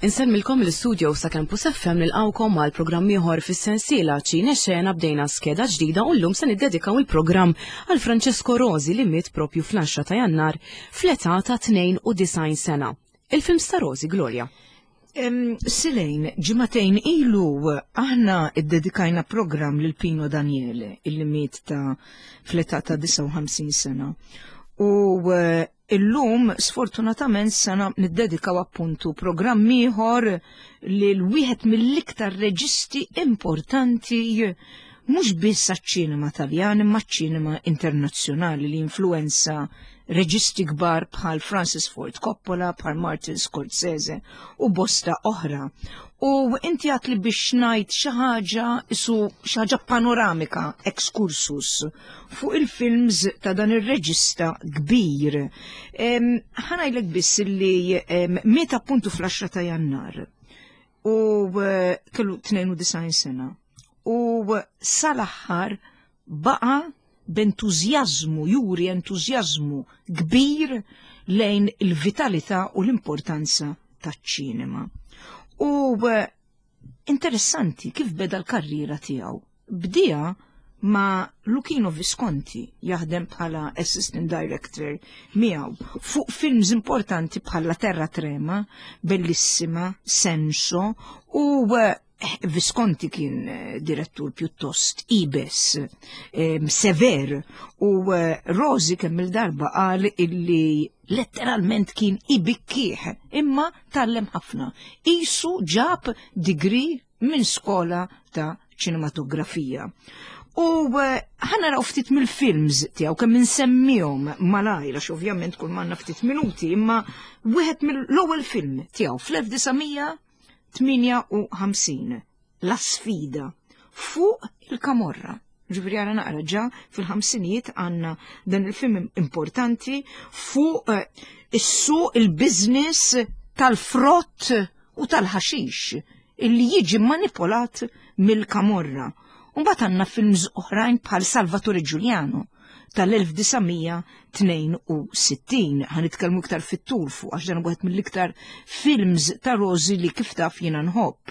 Insellmilkom l-istudio sa Campus FM nilqawkom għal programm ieħor fis-sensiela Ċine Xena bdejna skeda ġdida u llum se niddedikaw il-programm għal Francesco Rosi li miet propju fl-10 ta' Jannar fl-età ta' 92 sena. Il-film sta' Rosi, Gloria. Silejn, ġimatejn ilu aħna iddedikajna programm lil Pino Daniele illi miet ta' fl-età ta' 59 sena. U eh, Illum, sfortunatament, se niddedikaw appuntu programm ieħor lil wieħed mill-iktar reġisti importanti mhux biss għaċ-ċinema Taljan imma ċ-ċinema internazzjonali li influenza reġisti kbar bħal Francis Ford Coppola, bħal Martin Scorsese u bosta oħra. U inti għat li biex ngħid xi ħaġa isu xi ħaġa panoramika, excursus, fuq il-films ta' dan ir-reġista kbir. Ħanajlek biss li miet appuntu fl-10 ta' Jannar u eh, kellu 92 sena u sal-aħħar baqa' b'entużjażmu, juri entużjażmu kbir lejn il-vitalità u l-importanza taċ-ċinema. U eh, interessanti kif beda l-karriera tiegħu. Bdieha ma' Luchino Visconti jaħdem bħala assistant director miegħu fuq films importanti bħala Terra Trema, Bellissima, Senso u eh, Visconti kien eh, direttur pjuttost ibes, eh, sever u Rosi kemm il-darba qal illi letteralment kien ibikkieħ imma tallem ħafna. Isu ġab degree minn skola ta' ċinematografija. U eh, ħana raw ftit mill-films tiegħu kemm insemmihom malajr għax ovvjament kull manna ftit minuti, imma wieħed mill-ewwel film tiegħu fl-1958 La Sfida fuq il-Kamorra. Ġifieri għara naqra ġa fil-ħamsinijiet għandna dan il-film importanti fuq eh, is-suq il-business tal-frott u tal-ħaxix illi jiġi manipolat mill-Kamorra. Mbagħad għandna films oħrajn bħal Salvatore Giuliano tal-1962. Ħa nitkellmu iktar fit-tul fuq għax dan wieħed mill-iktar films ta' Rosi li kif taf jiena nħobb.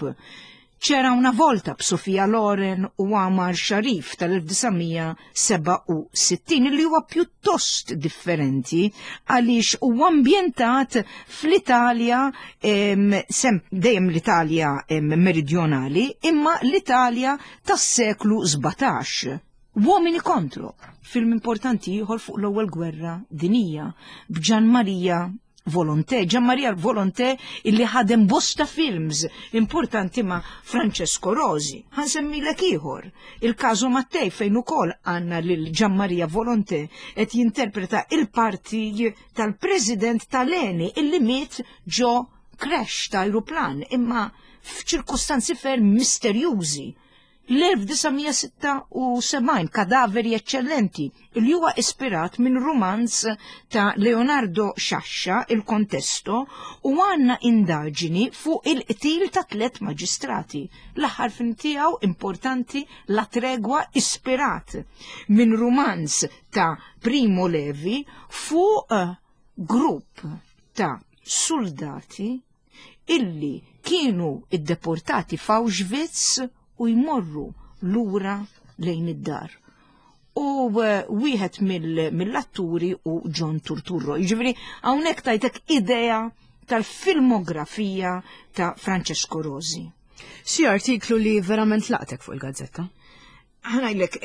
C'era una volta b'Sofia Loren u Amar Sharif tal-1967 li huwa pjuttost differenti għaliex huwa ambjentat fl-Italja dejjem l-Italja meridjonali imma l-Italja tas-seklu 17. Uomini contro, film importanti ieħor fuq l-ewwel gwerra dinija b'Ġan Marija Volonté, Gian Maria Volonté illi ħadem bosta films importanti ma' Francesco Rosi. Ħansemmilek ieħor, il-Caso Mattei fejn ukoll għandna lil Gian Maria Volonté qed jinterpreta il-parti tal-President tal-Eni illi miet ġo crash ta' ajruplan imma f'ċirkustanzi ferm misterjużi. L-1976 Kadaveri Eċċellenti, li huwa ispirat minn rumanz ta' Leonardo Sciascia, Il Contesto, u għandna indaġini fuq il-qtil ta' tlet maġistrati. L-aħħar film tiegħu importanti La Tregua ispirat minn rumanz ta' Primo Levi fuq grupp ta' soldati illi kienu iddeportati f'Auschwitz u jmorru lura lejn id-dar. U eh, wieħed mill-atturi u John Turturro. Jiġifieri hawnhekk tajtek idea tal-filmografija ta' Francesco Rosi. Xi artiklu li verament laqtek fuq il-gazzetta? Ħanajlek,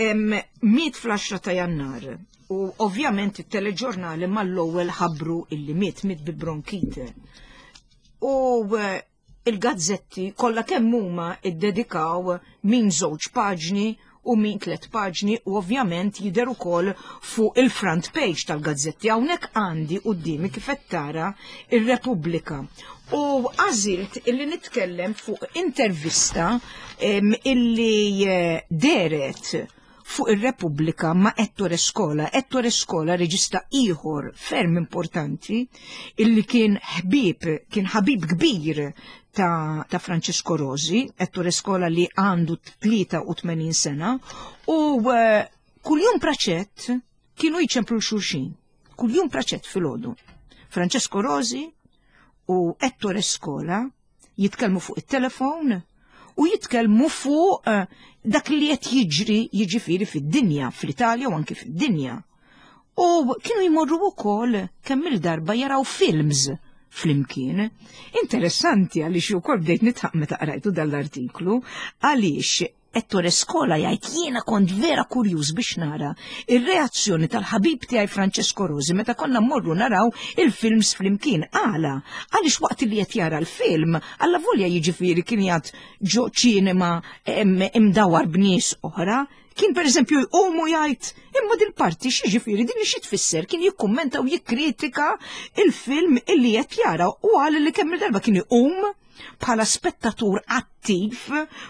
miet fl-10 ta' jannar u ovvjament it-teleġurnali mal-ewwel ħabbru illi miet miet bi bronkite. U eh, il-gazzetti kollha kemm huma iddedikaw min żewġ paġni u min tlet paġni u ovvjament jidher ukoll fuq il-front page tal-gazzetti. Hawnhekk għandi qudiemi kif qed tara ir-Repubblika. U għażilt illi nitkellem fuq intervista illi eh, deret fuq ir-Repubblika ma' Ettore Scola. Ettore Scola reġista ieħor ferm importanti illi kien ħbib, kien ħabib kbir ta', ta Francesco Rosi, Ettore Scola li għandu 83 sena u eh, kuljum praċett kienu jċemplu xulxin. Kuljum praċett filgħodu. Francesco Rosi u Ettore Scola. Jitkellmu fuq it-telefon u jitkellmu fuq eh, dak li qed jiġri jiġifieri fid-dinja, fl-Italja u anki fid-dinja. U kienu jmorru wkoll kemm il-darba jaraw films flimkien. Interessanti għaliex ukoll bdejt nitħaq meta qrajtu dal-artiklu għaliex Ettore Scola jgħid jiena kont vera kurjuż biex nara ir-reazzjoni tal-ħabib tiegħi Francesco Rosi meta konna mmorru naraw il-films flimkien. Għala, għaliex waqt li qed jara l-film, alla volja jiġifieri kien jgħad ġo ċinema imdawar b'nies oħra, kien pereżempju jqum u jgħid imma dil-parti x'jiġifieri din xi tfisser kien jikkummenta u jikkritika il-film illi qed jara u qal li kemm il-darba kien iqum bħala spettatur attiv,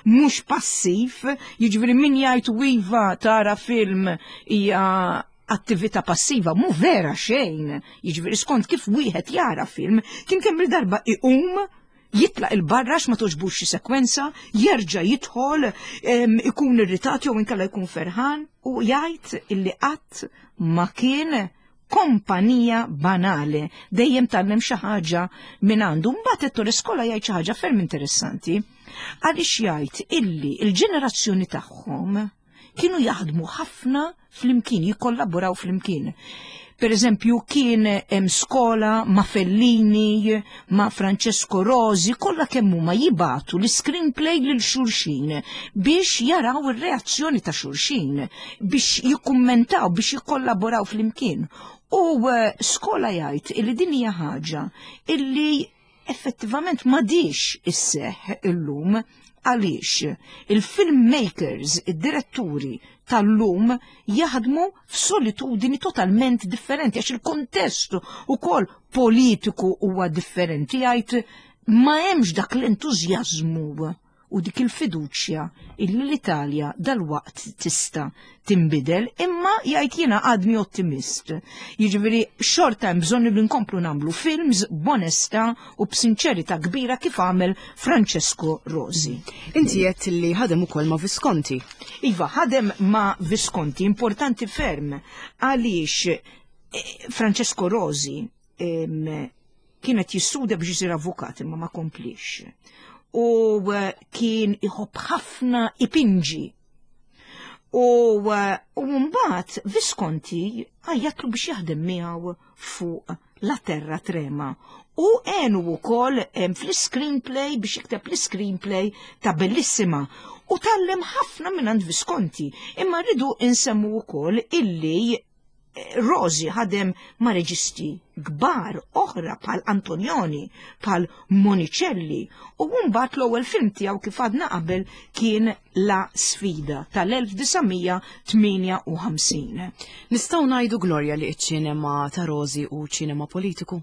mhux passiv, jiġifieri min jgħid iva tara film hija attività passiva, mu vera xejn, jiġifieri skont kif wieħed jara film, kien kemm il-darba iqum jitlaq il-barra ma toġbux xi sekwenza, jerġa' jidħol, ikun irritat jew inkella jkun ferħan u jgħid illi qatt ma kien kompanija banali, dejjem tgħallem xi ħaġa minn għandu. Mbagħad Ettore Scola jgħid xi ħaġa ferm interessanti għaliex jgħid illi l-ġenerazzjoni tagħhom kienu jaħdmu ħafna flimkien, jikkollaboraw flimkien. Per eżempju, kien hemm Scola ma' Fellini, ma' Francesco Rosi, kollha kemm huma jibatu l-screenplay lil xulxin biex jaraw ir-reazzjoni ta' xulxin, biex jikkummentaw, biex jikkollaboraw flimkien. U eh, Scola jgħid illi din hija ħaġa illi effettivament m'għadix isseħħ illum għaliex il-filmmakers, id-diretturi tal-lum jaħdmu f'solitudini totalment differenti għax il-kontest ukoll politiku huwa differenti jgħid ma hemmx dak l-entużjażmu u dik il-fiduċja illi l-Italja dalwaqt tista' tinbidel, imma jgħid jiena għadni ottimist. Jiġifieri xorta hemm bżonn li nkomplu nagħmlu films b'onestà u b'sinċerità kbira kif għamel Francesco Rosi. Inti għedt li ħadem ukoll ma' Visconti. Iva, ħadem ma' Visconti, importanti ferm għaliex eh, Francesco Rosi kien qed jistudja biex isir avukat imma ma komplix. U eh, kien iħobb ħafna ipinġi. U eh, mbagħad Visconti għajjatlu biex jaħdem miegħu fuq La Terra Trema. U għenu wkoll fl-screenplay biex jikteb l-screenplay ta' Bellissima. U tallem ħafna minn Visconti. Imma rridu insemmu wkoll illi Rosi ħadem ma' reġisti kbar oħra bħal Antonioni, bħal Monicelli, u mbagħad l-ewwel film tiegħu kif għadna qabel kien La Sfida tal-1958. Nistgħu ngħidu Gloria li ċ-ċinema ta' Rosi hu ċinema politiku?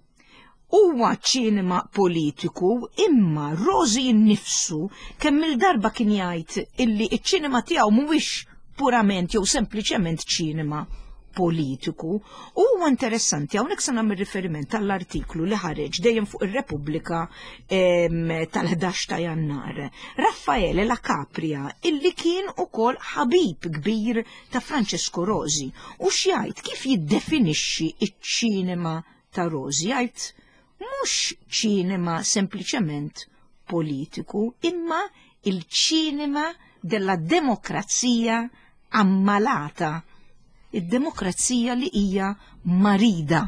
Huwa ċinema politiku imma Rosi nnifsu kemm il-darba kien jgħid illi ċ-ċinema tiegħu mhuwiex purament jew sempliċement ċinema politiku. U huwa interessanti hawnhekk se nagħmel riferiment għall-artiklu li ħareġ dejjem fuq ir-Repubblika tal-11 ta' Jannar. Raffaele La Capria illi kien ukoll ħabib kbir ta' Francesco Rosi u x'jgħid kif jiddefinixxi ċ-ċinema ta' Rosi jgħid mhux ċinema sempliċement politiku imma il-ċinema della demokrazija ammalata, id-demokrazija li hija marida,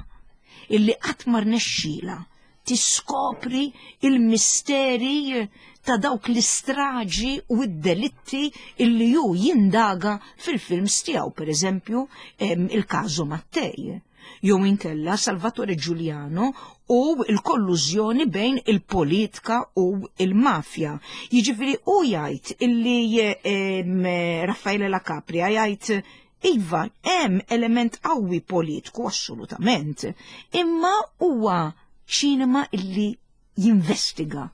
illi qatt ma rnexxielha tiskopri il-misteri ta' dawk l-istraġi u d-delitti illi ju jindaga fil-films tiegħu, per eżempju, il-każu Mattei jew inkella Salvatore Giuliano u l-kollużjoni bejn il-politika u il-mafja. Jiġifieri u jgħid illi Raffaele La Capria jgħid iva hemm element qawwi politiku assolutament, imma huwa ċinema illi jinvestiga,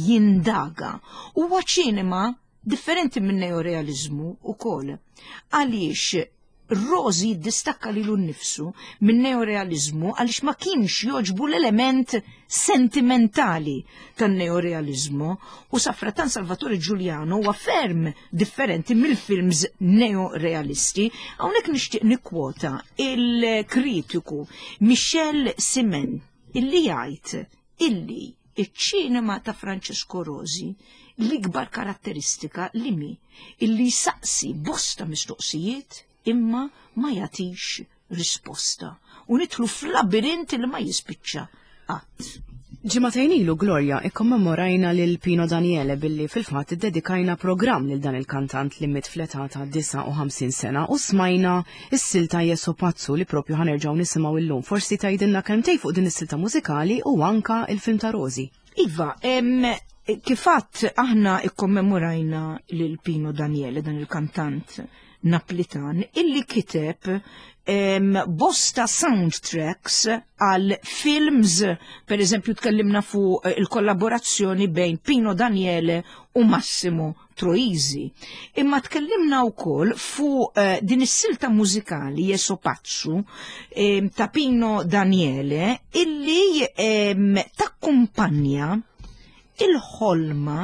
jindaga. Huwa ċinema differenti minn neorealiżmu ukoll. Għaliex Rosi jiddistakka lilu nnifsu minn neorealiżmu għaliex ma kienx jogħġbu l-element sentimentali tan-neorealiżmu u safratan Salvatore Giuliano huwa ferm differenti mill-films neorealisti. Hawnhekk nixtieq nikkwota il-kritiku Michel Simen illi jgħid illi Iċ-ċinema ta' Francesco Rosi l-ikbar karatteristika li mi illi jsaqsi bosta mistoqsijiet imma ma jagħtix risposta u nidħlu f'labirint li ma jispiċċa qatt. Ġimagħtejn ilu Gloria ikkommemorajna lil Pino Daniele billi fil-fatt iddedikajna programm lil dan il-kantant li miet fl-età ta' 59 sena u smajna s-silta Jesu Pazzu li propju ħanerġgħu nisimgħu illum. Forsi tgħidilna kelmtejn fuq din is-silta mużikali u anka il-film ta' Rosi. Iva, kif għedt aħna ikkommemorajna lil Pino Daniele, dan il-kantant Naplitan, illi kiteb bosta soundtracks għal films, per eżempju tkellimna fuq il-kollaborazzjoni bejn Pino Daniele u Massimo Troisi. Imma tkellimna wkoll fuq din is-silta mużikali Jesu Pazzu ta' Pino Daniele illi takkumpanja il-ħolma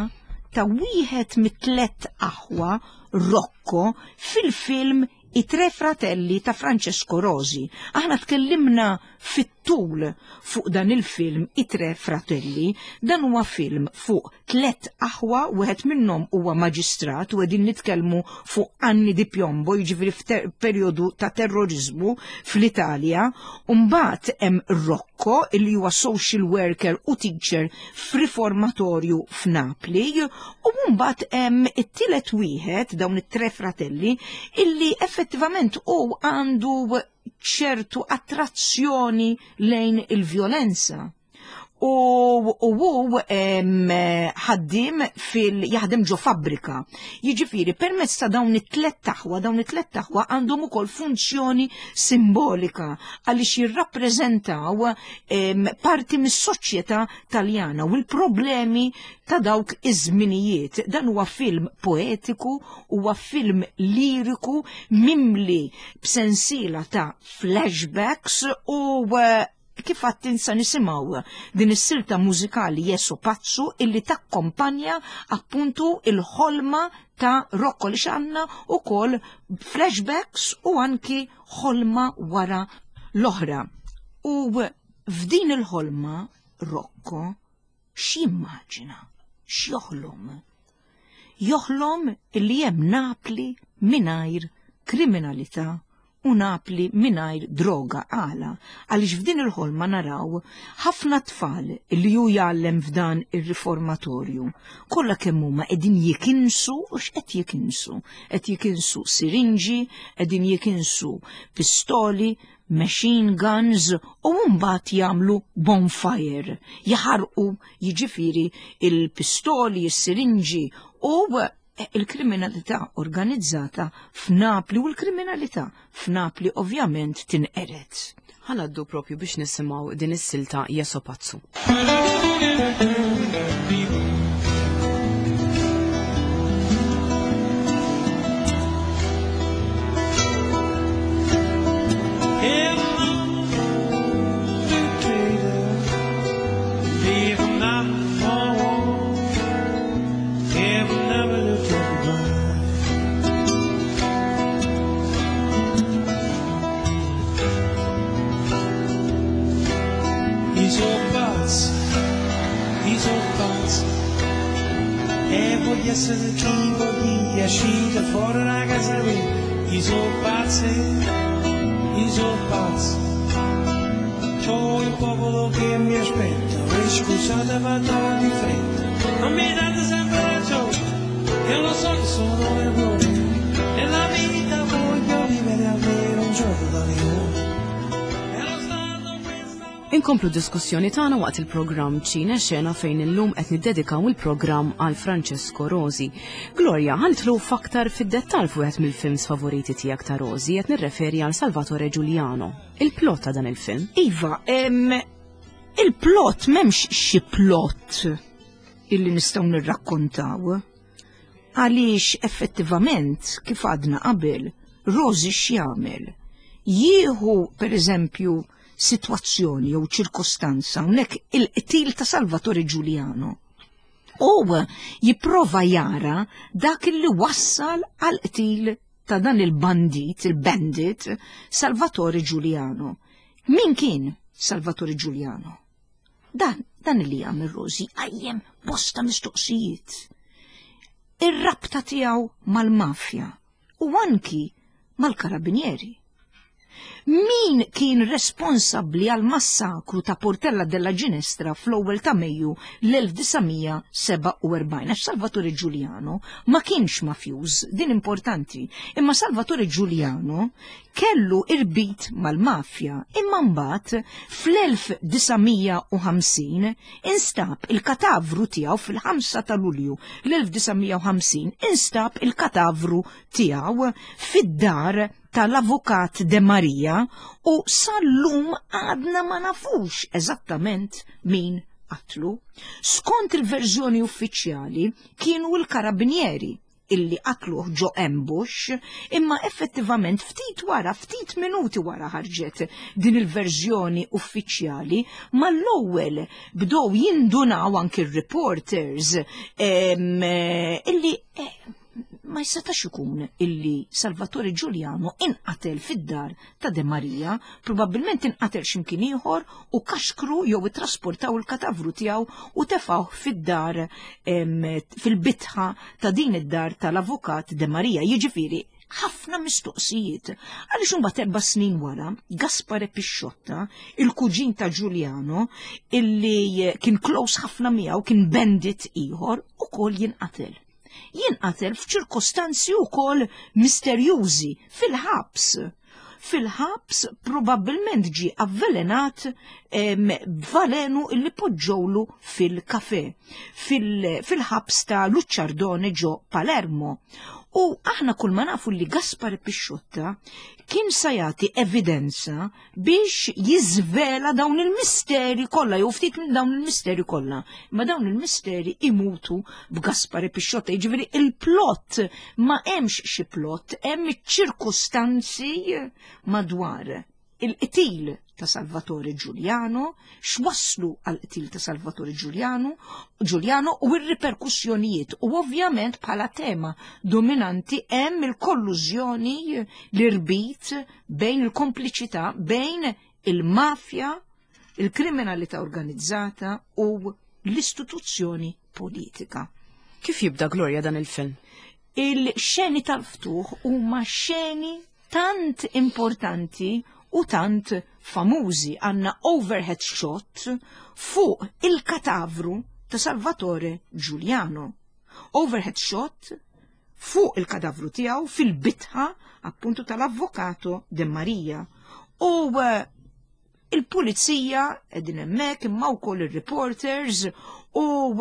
ta' wieħed mit-tlet aħwa Rocco fil-film I Tre Fratelli ta' Francesco Rosi. Aħna tkellimna fit-tul fuq dan il-film I Tre Fratelli. Dan huwa film fuq tlet aħwa, wieħed minnhom huwa maġistrat u qegħdin nitkellmu fuq anni di piombo, jiġifieri f'perjodu ta' terrorizmu fl-Italja. U mbagħad hemm Rocco illi huwa social worker u teacher f'riformatorju f'Napli, u mbagħad hemm it-tielet wieħed dawn it-tre fratelli illi effettivament hu għandu ċertu attrazzjoni lejn il-vjolenza. U hu ħaddim fil jaħdem ġo fabbrika. Jiġifieri permezz ta' dawn it-tlet aħwa, dawn it-tlet aħwa għandhom ukoll funzjoni simbolika għaliex jirrappreżentaw parti mis-soċjetà Taljana u l-problemi ta' dawk iż-żminijiet. Dan huwa film poetiku, huwa film liriku mimli b'sensiela ta' flashbacks u kif għedt issa nisimgħu din is-silta mużikali Jesu Pazzu illi takkompanja appuntu il-ħolma ta' Rocco li xanna u kol flashbacks u anki ħolma wara l-oħra. U f'din il-ħolma Rocco x'jimmaġina, x'joħlom? Joħlom illi hemm Napli mingħajr kriminalità u Napli mingħajr droga. Għala, għaliex f'din il-ħolma naraw ħafna tfal li hu jgħallem f'dan ir-riformatorju. Kollha kemm huma qegħdin jikinsu u x'qed jikinsu? Qed jikinsu sirinġi, qegħdin jikinsu pistoli, machine guns u mbagħad jagħmlu bonfire, jaħarqu jiġifieri il-pistoli, is-sirinġi u il-kriminalità organizzata f'Napli u l-kriminalità f'Napli ovvjament tinqered. Ħa ngħaddu propju biex nisimgħu din is-silta Jesu Pazzu. I so pazzo, i so pazzo, e voglio essere chi voglio uscire fuori da casa mia. I so pazzo, i so pazzo, c'ho il popolo che mi aspetta, e scusate vado di fretta, ma mi date sempre ragione, e lo so che sono un errore, nella vita voglio vivere almeno un giorno da leone. E lo stato questa Inkomplu diskussjoni tagħna waqt il-programm Ċine Xena fejn illum qed niddedikaw il-programm għal Francesco Rosi. Gloria, ħa nidħlu f'aktar fid-dettall fuq wieħed mill-films favoriti tiegħek ta' Rosi qed nirreferi għal Salvatore Giuliano. Il-plot ta' dan il-film. Iva, il-plot m'hemmx xi plot illi nistgħu nirrakkontaw. Għaliex effettivament kif għadna qabel, Rosi x'jagħmel? Jieħu per eżempju sitwazzjoni jew ċirkostanza hawnhekk il-qtil ta' Salvatore Giuliano. U jipprova jara dak li wassal għal qtil ta' dan il-bandit, il-bandit, Salvatore Giuliano. Min kien Salvatore Giuliano? Dan Dan li jagħmel Rosi qajjem bosta mistoqsijiet. Ir-rabta tiegħu mal-mafja u anki mal-karabinieri. Min kien responsabbli għall-massakru ta' Portella della Ginestra fl-ewwel ta' Mejju l-1947? Għax Salvatore Giuliano ma kienx mafjuż, din importanti, imma Salvatore Giuliano kellu irbit mal-mafja, imma mbagħad fl-1950 instab il-katavru tiegħu fil-5 ta' Lulju l-1950 instab il-katavru tiegħu fid-dar tal-Avukat De Maria u sal-lum għadna ma nafux eżattament min qatlu. Skont il-verżjoni uffiċjali kienu l-karabinieri illi qatluh ġo ambush, imma effettivament ftit wara, ftit minuti wara ħarġet din il-verżjoni uffiċjali, mal-ewwel bdew jindunaw anki r-reporters illi ma jistatax ikun illi Salvatore Giuliano inqatel fid-dar ta' De Maria, probabbilment inqatel x'imkien ieħor u kaxkru jew ittrasportaw il-katavru tiegħu u tefgħuh fid-dar fil-bitħa ta' din id-dar tal-avukat De Maria. Jiġifieri ħafna mistoqsijiet. Għaliex imbagħad 4 snin wara, Gaspare Pisciotta, il-kuġin ta' Giuliano, illi kien close ħafna miegħu, kien bandit ieħor, ukoll jinqatel. Jinqatel f'ċirkostanzi wkoll misterjużi fil-ħabs. Fil-ħabs probabbilment ġie avvelenat b'valenu illi poġġewlu fil-kafe, fil-ħabs ta' Luċċardone ġo Palermo. U aħna kull ma nafu li Gaspare Pisciotta kien sa jagħti evidenza biex jiżvela dawn il-misteri kollha jew ftit minn dawn il-misteri kollha. Ma dawn il-misteri imutu b'Gaspare Pisciotta, jiġifieri il-plot ma hemmx xi plot, hemm iċ-ċirkustanzi madwar il-qtil ta' Salvatore Giuliano, x'wasslu għall-qtil ta' Salvatore Giuliano u r-riperkussjonijiet. U ovvjament bħala tema dominanti hemm il-kollużjoni, l-irbit bejn il-kompliċità bejn il-mafja, il-kriminalità organizzata u l-istituzzjoni politika. Kif jibda Gloria dan il-film? Il-xeni tal-ftuħ huma xeni tant importanti u tant famużi. Għandna overhead shot fuq il-katavru ta' Salvatore Giuliano. Overhead shot fuq il-kadavru tiegħu fil-bitħa appuntu tal-Avvokato De Maria. U il-pulizija qegħdin hemmhekk imma wkoll ir-reporters u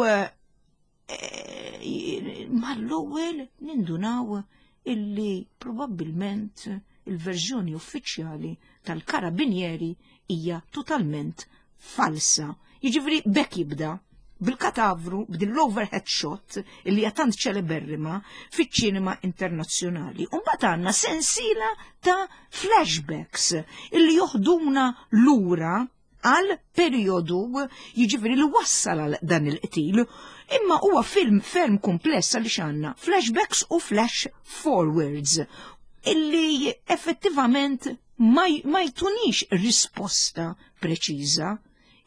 mal-ewwel nindunaw illi probabbilment il-verżjoni uffiċjali tal-karabinieri hija totalment falsa. Jiġifieri bekk jibda bil-katavru, b'din l-overhead shot illi hija tant ċeleberrima fiċ-ċinema internazzjonali. U mbagħad għandna sensiela ta' flashbacks illi joħduna lura għal periodu jiġifieri li wassal għal dan il-qtil. Imma huwa film ferm kumpless għaliex għandna flashbacks u flash forwards illi effettivament ma jtunix risposta preċiża.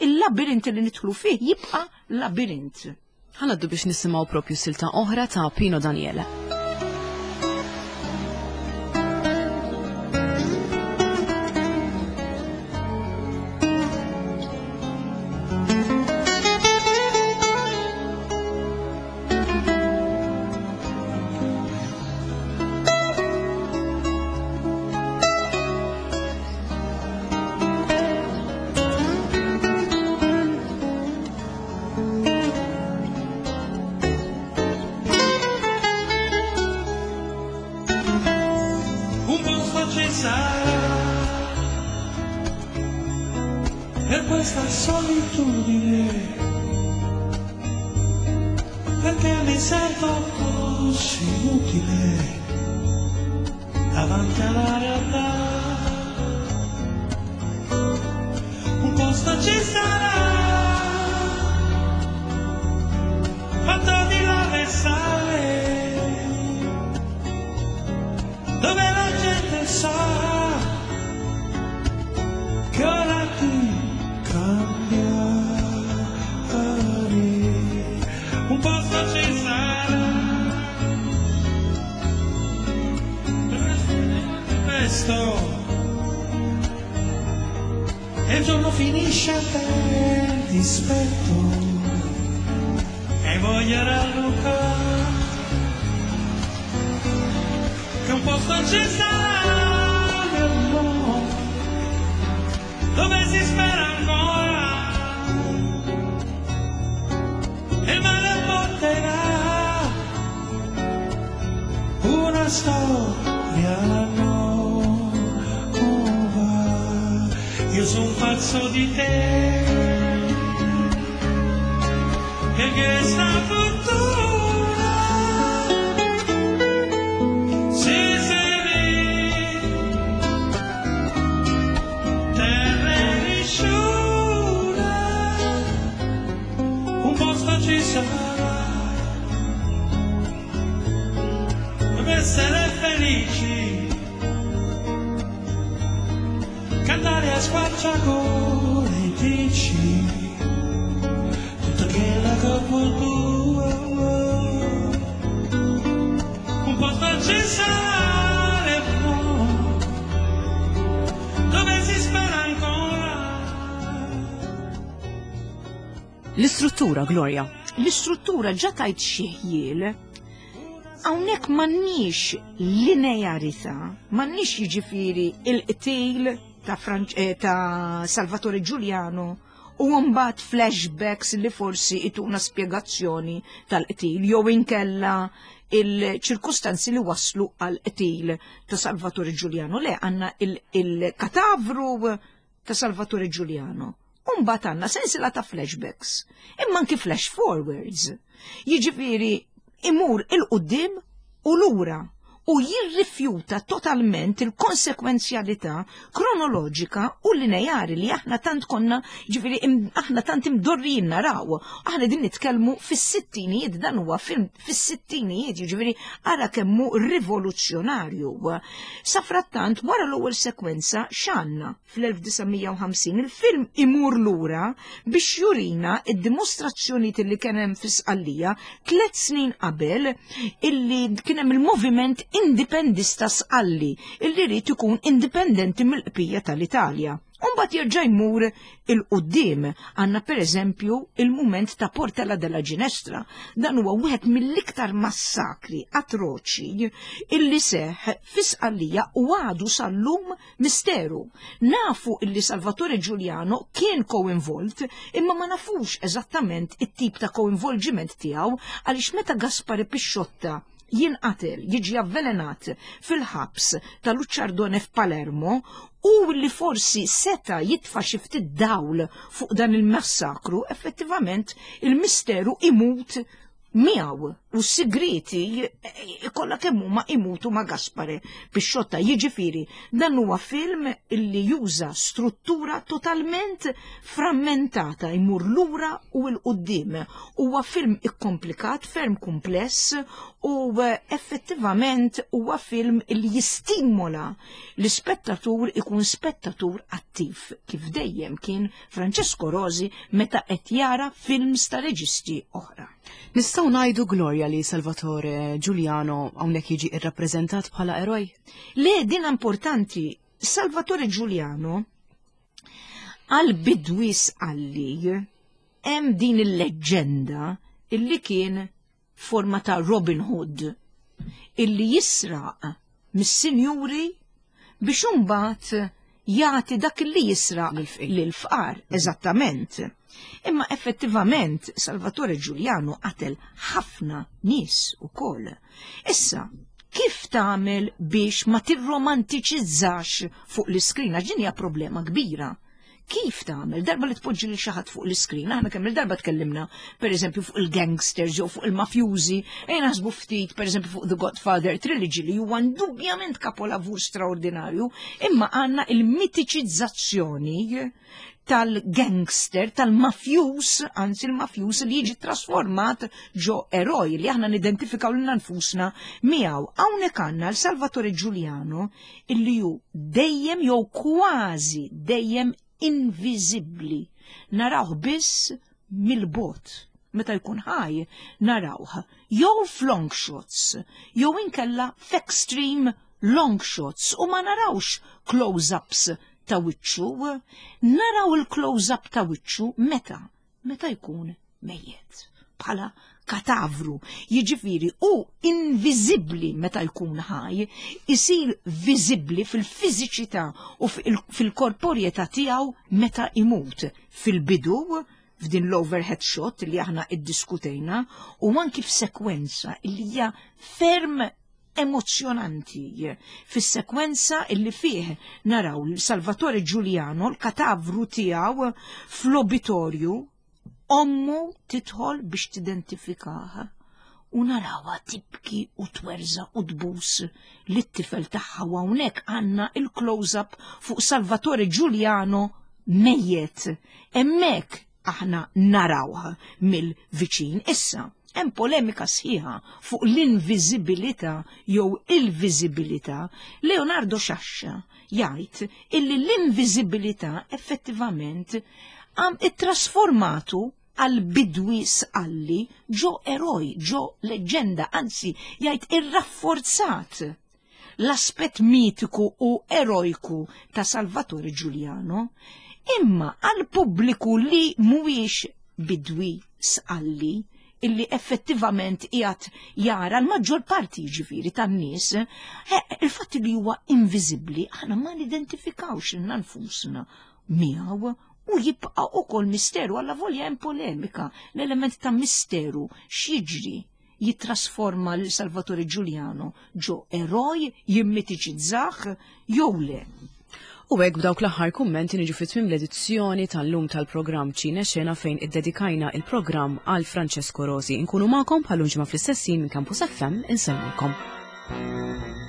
Il-labirint li nidħlu fih jibqa' labirint. Ħanaddu biex nisimgħu propju silta oħra ta' Pino Daniele. Un posto ci sarà per questa solitudine, perché mi sento così inutile davanti alla realtà. Un posto ci sarà, fatto di lava e sale, dove la gente sa che ora ti cambia. presto e il giorno finisce a per dispetto e voglio rallucare che un posto ci sarà nel mondo dove si spera ancora e il male porterà una storia nuova. Io son pazzo di te, perché sta fortuna si se terra nessuno, un posto ci sarà dove essere felici, cantare a squarciagola e dici tutto che la tua, un posto ci sarà dove si spera ancora. L-istruttura, Gloria. L-istruttura ġa tajt xi ħjiel. Hawnhekk m'għandniex linearità, m'għandniex jiġifieri il-qtil ta', ta' Salvatore Giuliano u mbagħad flashbacks li forsi ituna spjegazzjoni tal-qtil jew inkella il-ċirkustanzi li waslu għal qtil ta' Salvatore Giuliano. Le, għandna il-katavru ta' Salvatore Giuliano. U mbagħad għandna sensiela ta' flashbacks, imma anki flash forwards. Jiġifieri imur il-qudiem u lura u jirrifjuta totalment il-konsekwenzjalità kronoloġika u lineari li aħna tant konna, ġifieri aħna tant imdorrijin naraw. Aħna din nitkellmu fis-sittinijiet, dan huwa film fis-sittinijiet, jiġifieri ara kemm hu rivoluzzjonarju. Safrattant, wara l-ewwel sekwenza x'għandna fl-1950 il-film imur lura biex jurina id-dimostrazzjonijiet li kien hemm fi Sqallija 3 snin qabel illi kien hemm il-moviment indipendista Sqalli illi jrid ikun indipendenti mill-qbija tal-Italja. U mbagħad jerġa' jmur il-quddiem. Għandna pereżempju il-mument ta' Portella della Ginestra. Dan huwa wieħed mill-iktar massakri atroċi illi seħ fi Sqallija u għadu sal-lum misteru. Nafu illi Salvatore Giuliano kien co-involved, imma ma nafux eżattament it-tip ta' coinvolgiment tiegħu għaliex meta Gaspare Pisciotta jinqatel, jiġi avvelenat fil-ħabs ta' Luċardone f'Palermo u li forsi seta jitfa' xi ftit dawl fuq dan il-massakru, effettivament il-misteru imut miegħu u s-sigriti kollha kemm huma imutu ma' Gaspare Pisciotta. Jiġifieri dan huwa film illi juża struttura totalment frammentata, jmur lura u 'l quddiem. Huwa film ikkomplikat, ferm kumpless u effettivament huwa film illi jistimola l-ispettatur ikun spettatur attiv, kif dejjem kien Francesco Rosi meta qed jara films ta' reġisti oħra. Nistgħu ngħidu, Gloria, li Salvatore Giuliano hawnhekk jiġi irrappreżentat bħala eroj? Le, din importanti. Salvatore Giuliano għal bidwi Sqalli hemm din il-leġġenda illi kien forma ta' Robin Hood illi jisraq mis-sinjuri biex imbagħad jagħti dak li jisraq lill-fqar, eżattament. Imma effettivament Salvatore Giuliano qatel ħafna nies ukoll. Issa, kif tagħmel biex ma tirromantiċizzax fuq l-iskrin? Għax din hija problema kbira. Kif tagħmel? Darba li tpoġġi lil xi ħadd fuq l-iskrin, aħna kemm il-darba tkellimna pereżempju fuq il-gangsters jew fuq il-mafjużi, ejja naħsbu ftit pereżempju fuq The Godfather Trilogy li huwa indubjament kapolavur straordinarju, imma għandna il-mitiċizzazzjoni tal-gangster, tal-mafjuż, anzi il-mafjuż li jiġi trasformat ġo eroj li aħna nidentifikaw lilna nfusna miegħu. Hawnhekk għandna l-Salvatore Giuliano illi hu dejjem jew kważi dejjem inviżibbli. Narawh biss mill-bogħod. Meta jkun ħaj narawh jew f'long shots jew inkella f'extreme long shots u ma narawx close-ups ta' wiċċu, naraw il-close-up ta' wiċċu meta? Meta jkun mejjet bħala katavru, jiġifieri hu inviżibbli meta jkun ħaj, isir viżibbli fil-fiżiċità u fil-korporjetà tiegħu meta imut. Fil-bidu, f'din l-overhead shot li aħna iddiskutejna, u anki f'sekwenza li hija ferm emozzjonanti fis-sekwenza illi fih naraw Salvatore Giuliano l-katavru tiegħu fl-obitorju ommu tidħol biex tidentifikah u narawha tibki u twerża u tbus lit-tifel tagħha u hawnhekk għandna il-close-up fuq Salvatore Giuliano mejjet. Hemmhekk aħna narawh mill-viċin. Issa, hemm polemika sħiħa fuq l-inviżibilità jew il-viżibilità. Leonardo Sciascia jgħid illi l-inviżibilità effettivament għam ittrasformatu għal bidwi sqalli ġo eroj, ġo leġġenda, anzi jgħid irrafforzat l-aspett mitiku u erojku ta' Salvatore Giuliano, imma għal pubbliku li mhuwiex bidwi sqalli illi effettivament qiegħed jara l-maġġor parti jiġifieri tan-nies, eh, il-fatt li huwa inviżibbli aħna ma nidentifikawx lilna nfusna miegħu u jibqa' ukoll misteru alla volja hemm polemika l-element ta' misteru x'jiġri jittrasforma lil Salvatore Giuliano ġo eroj, jimmitiċizzah jew le. U hekk b'dawk l-aħħar kummenti niġu fi tmiem l-edizzjoni tal-lum tal-programm Ċine Xena fejn iddedikajna il-programm għal Francesco Rosi. Inkunu magħkom bħal ġimgħa fl-istess minn Campus FM insellmilkom.